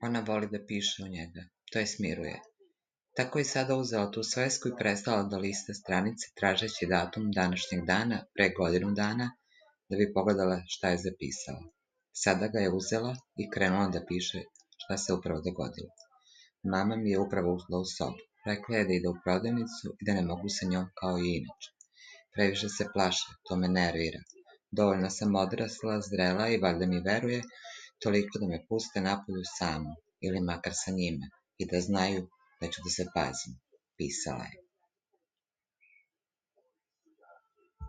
Ona voli da piše u njega. To je smiruje. Tako je sada uzela tu svesku i prestala da lista stranice tražeći datum današnjeg dana pre godinu dana da bi pogledala šta je zapisala. Sada ga je uzela i krenula da piše šta se upravo dogodilo. Mama mi je upravo ušla u sobu. Rekla je da ide u prodavnicu i da ne mogu sa njom kao i inače. Previše se plaše, to me nervira. Dovoljno sam odrasla, zrela i valjda mi veruje toliko da me puste napolju samu, ili makar sa njime, i da znaju da ću da se pazim, pisala je.